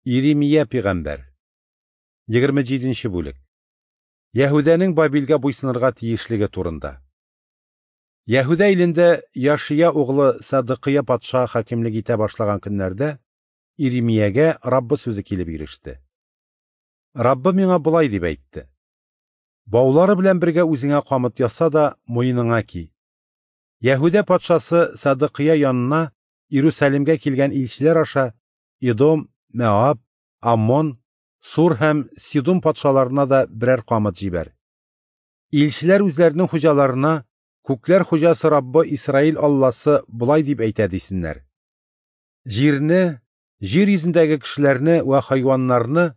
Иремия пәйгамбәр. 27 нче бүлек. Яһүдәнең Бабилгә буйсынырга тиешлеге турында. Яһүдә илендә Яшия углы Садыкыя патша хакимлек итә башлаган көннәрдә Иремиягә Раббы сүзе килеп иреште. Раббы миңа болай дип әйтте: Баулары белән бергә үзеңә камыт яса да, муеныңа ки. Яһүдә патшасы Садыкыя янына Иерусалимгә килгән илчеләр аша Идом, Мәаб, Аммон, Сур һәм Сидун патшаларына да берәр камыт җибәр. Илчеләр үзләренең хуҗаларына Күкләр хуҗасы Раббы Исраил Алласы болай дип әйтә дисеннәр: Җирне, җир йөзендәге кешеләрне вә хайваннарны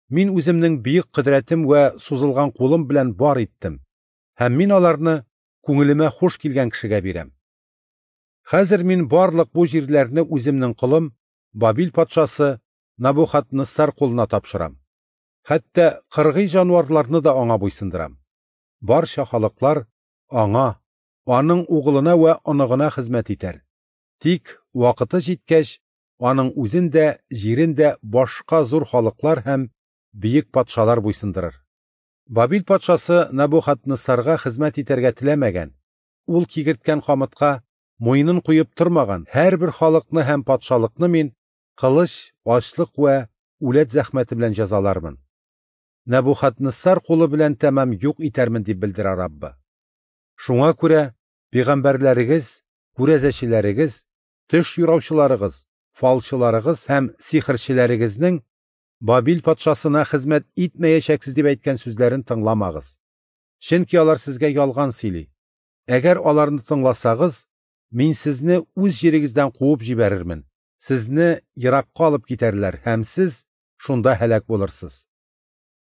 мин үземнең бөек кодрәтем вә сузылган кулым белән бар иттем, һәм мин аларны күңелемә хуш килгән кешегә бирәм. Хәзер мин барлык бу җирләрне үземнең колым Бабил патшасы Набухаднессар кулына тапшырам. Хәтта кыргый җанварларны да аңа буйсындырам. Барча халыклар аңа, аның угылына вә оныгына хезмәт итәр. Тик вакыты җиткәч, аның үзен дә, җирен дә башка зур халыклар һәм бөек патшалар буйсындырыр. Бабил патшасы Набухаднессарга хезмәт итәргә теләмәгән, ул кигерткән камытка муенын куеп тормаган һәрбер халыкны һәм патшалыкны мин кылыч, ачлык вә үләт зәхмәте белән җәзалармын. Нәбухаднессар кулы белән тәмам юк итәрмен дип белдерә Раббы. Шуңа күрә пәйгамбәрләрегез, күрәзәчеләрегез, төш юраучыларыгыз, фалчыларыгыз һәм сихерчеләрегезнең Бабил патшасына хезмәт итмәячәксез дип әйткән сүзләрен тыңламагыз. Чөнки алар сезгә ялган сөйли. Әгәр аларны тыңласагыз, мин сезне үз җирегездән куып җибәрермен. Сезне еракка алып китәрләр һәм сез шунда һәлак булырсыз.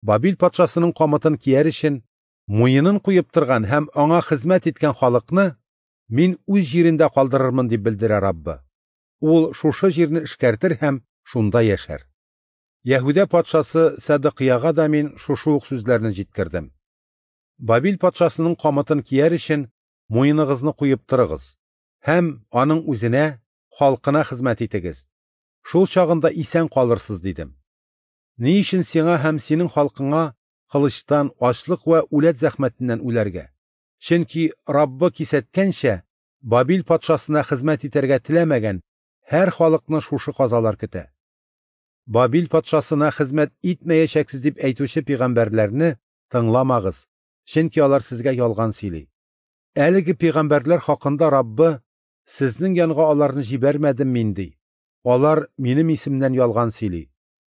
Бабил патшасының камытын кияр өчен муенын куеп торган һәм аңа хезмәт иткән халыкны мин үз җирендә калдырырмын дип белдерә Раббы. Ул шушы җирне эшкәртер һәм шунда яшәр. Яһүдә патшасы Садыкыяга да мин шушы ук сүзләрне җиткердем. Бабил патшасының камытын кияр өчен муеныгызны куеп торыгыз һәм аның үзенә, халкына хезмәт итегез. Шул чагында исән калырсыз дидем. Ни өчен сиңа һәм синең халкыңа кылычтан, ачлык вә үләт зәхмәтеннән үләргә? Чөнки Раббы кисәткәнчә, Бабил патшасына хезмәт итәргә теләмәгән һәр халыкны шушы казалар көтә. Бабил патшасына хезмәт итмәячәксез дип әйтүче пәйгамбәрләрне тыңламагыз, чөнки алар сезгә ялган сөйли. Әлеге пәйгамбәрләр хакында Раббы: "Сезнең янга аларны җибәрмәдем мин" ди. Алар минем исемнән ялган сөйли.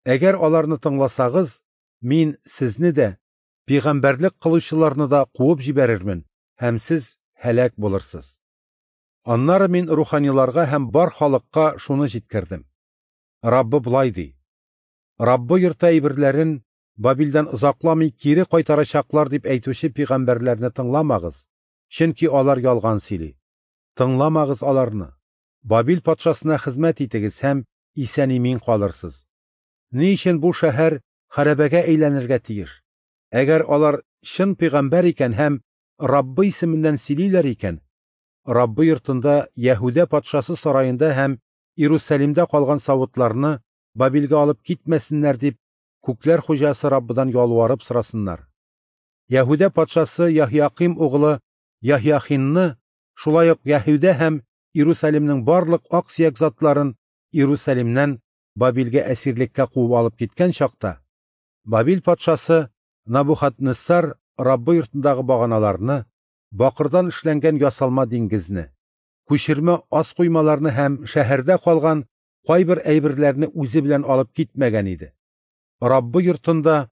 Әгәр аларны тыңласагыз, мин сезне дә, пәйгамбәрлек кылучыларны да куып җибәрермен, һәм сез һәлак булырсыз. Аннары мин руханиларга һәм бар халыкка шуны җиткердем. Раббы болай ди: Раббы йорты әйберләрен Бабилдән озакламый кире кайтарачаклар дип әйтүче пәйгамбәрләрне тыңламагыз, чөнки алар ялган сөйли. Тыңламагыз аларны. Бабил патшасына хезмәт итегез һәм исән-имин калырсыз. Ни өчен бу шәһәр хәрабәгә әйләнергә тиеш? Әгәр алар чын пәйгамбәр икән һәм Раббы исеменнән сөйлиләр икән, Раббы йортында, Яһүдә патшасы сараенда һәм Иерусалимдә калган савытларны Бабилгә алып китмәсеннәр дип, күкләр хуҗасы Раббыдан ялварып сорасыннар. Яһүдә патшасы Яһяким углы Яһяхинны, шулай ук Яһүдә һәм Иерусалимның барлык ак-сөяк затларын Иерусалимнән Бабилгә әсирлеккә куып алып киткән чакта, Бабил патшасы Набухаднессар Раббы йортындагы баганаларны, бакырдан эшләнгән ясалма диңгезне, күчермә ас коймаларны һәм шәһәрдә калган кайбер әйберләрне үзе белән алып китмәгән иде. Раббы йортында,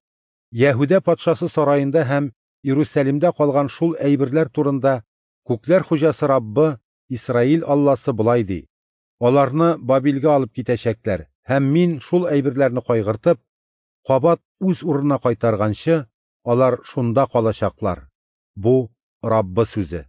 Яһүдә патшасы сараенда һәм Иерусалимдә калган шул әйберләр турында Күкләр хуҗасы Раббы Исраил Алласы болай ди: Аларны Бабилгә алып китәчәкләр, һәм мин шул әйберләрне кайгыртып, кабат үз урынына кайтарганчы, алар шунда калачаклар. Бу Раббы сүзе.